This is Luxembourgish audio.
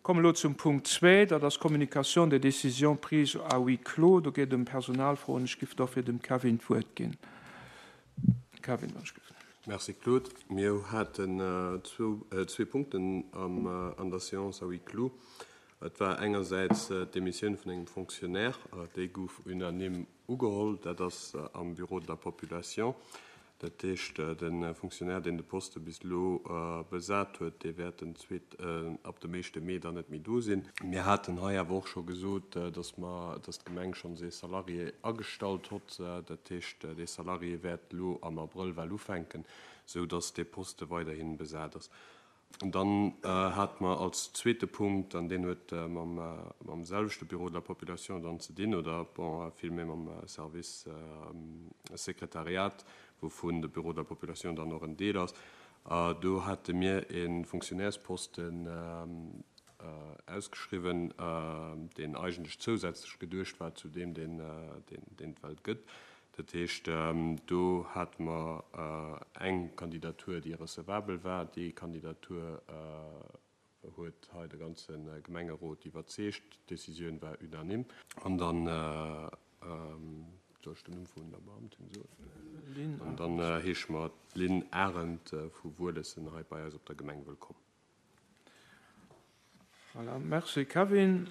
Kommen elo zum Punkt zwee, dat ass d'Communication des décisions prises à huis clos. Do geet et ëm Personalfroen. Ech giff dofir dem Kevin d'Wuert ginn. Kevin, wann ech giff. Merci Claude. Mir haten zwee Punkten an der Séance à huis clos. Et war engersäits d'Demissioun vun engem Fonctionnaire, déi gouf unanime ugeholl, dat ass am Bureau de la population. Dat heescht, de Fonctionnaire, deen de Poste bis elo besat huet, dee wäert den zweet, ab dem éischte Mee dann net méi do sinn. Mir haten hei awer och scho gesot, dass mer, dass d'Gemeng schonns ee Salarié agestallt hott. Dat heescht, dee Salarié wäert elo am Abrëll well ufänken, esou dass dee Poste weiderhi besat ass. Dann hate mer als zweete Punkt, an deen huet mam selwechte Bureau de la population dann ze dinn, oder bon, villméi mam Service Sekretariat, wouvun de Bureau de la population dann och en Deel ass, do hate mir e Fonctionnairsposten ausgeschriwwen, deen eigentlech zousätzlech geduecht war zu deem, deen et well gëtt. Dat heescht, do hate mer eng Kandidatur, déi recevabel war. Déi Kandidatur huet hei de ganze Gemengerot iwwerzeegt. D'Decisioun war unanime. An dann, soll ech den Numm vun der Beamtin soen? An dann heesche mer d'Lynn Arendt vu Wuelessen hei bei eis op der Gemeng wëllkomm. Voilà, merci Kevin.